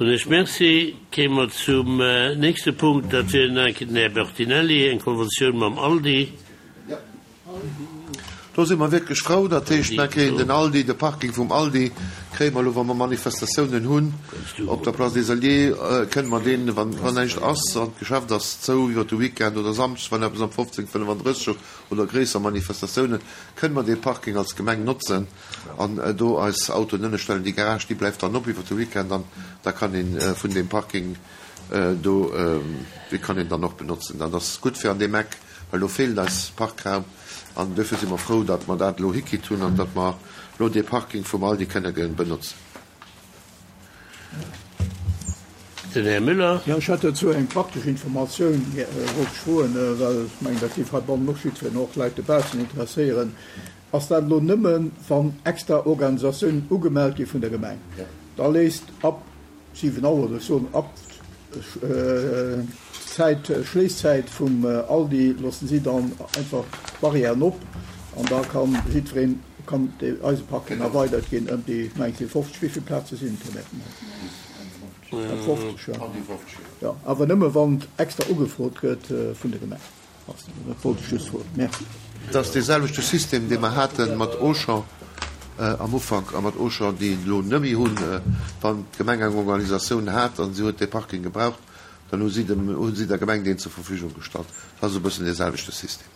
Soen ech Merci. Kéime mer zum nächste Punkt, dat wier den Här Bertinelli, eng Konventioun mam Aldi. Do si mer wierklech frou. Dat heescht, mer kréien den Aldi, de Parking vum Aldi kréie mer elo, wa mer Manifestatiounen hunn op der Place des Alliés, kënne mer deen, wann näischt ass an d'Geschäft ass zou iwwer de Weekend oder samschdes, wann eppes am 15:35 oder gréisser Manifestatiounen, kënne mer dee Parking als Gemeng notzen. An do eis Autoen ënnerstellen. Déi Garage, déi bleift dann op iwwer de Weekend an da kann ee vun deem Parking do, dee kann een dann och benotzen. Dat ass gutt fir an deem Eck, well do feelt eis Parkraum an duerfir si mer frou, datt mer dat elo hikritt hunn an datt mer elo dee Parking vum Aldi kënne benotzen. Den Här Müller. Jo, ech hätt dozou eng praktesch Informatioun, wollt ech froen, well ech mengen, dat géif heibannen och jiddwereen, och Leit dobaussen interesséieren. Ass dat elo nëmmen, wann extra Organisatiounen ugemellt gi vun der Gemeng? Da léisst ab 7 Auer, oder ech soen ab Zäit, Schléisszäit vum Aldi, loossen si dann einfach d'Barrièren op an da kann jiddwereen, kann dee eise Parking erweidert ginn ëm déi, ech mengen et si 50, wéi vill Plaze sinn et, Här Bertinelli? Ëm 50, jo. Jo, awer nëmme wann extra ugefrot gëtt vun der Gemeng. Dat wollt ech just froen. Merci. Et ass dee selwechte System, dee mer hate mat Auchan am Ufank a mat Auchan, déi et elo net méi hunn. Wann d'Gemeng eng Organisatioun hat a si huet dee Parking gebraucht, dann hu si dem, hu si der Gemeng deen zur Verfügung gestallt. Dat ass e bëssen dee selwechte System.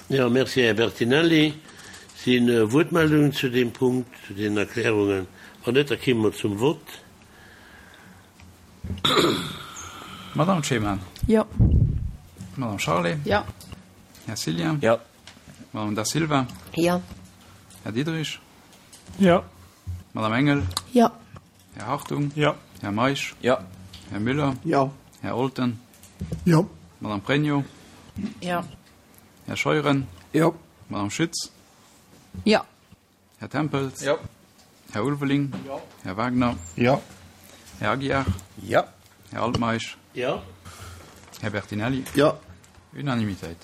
Jo, merci, Här Bertinelli. Si Wuertmeldungen zu deem Punkt, zu deenen Erklärungen? Wann net, da kéime mer zum Vott. Madame Cheman. Jo. Madame Charlé. Jo. Här Cillien. Jo. Madame Da Silva. Jo. Här Diderich. Jo. Madame Engel. Jo. Här Hartung. Jo. Här Meisch. Jo. Här Müller. Jo. Här Olten. Jo. Madame Pregno. Jo. Här Scheuren. Jo. Madame Schütz. Jo. Här Tempels. Jo. Här Ulveling. Jo. Här Wagner. Jo. Här Aguiar. Jo. Här Altmeisch. Jo. Här Bertinelli. Jo. Unanimitéit.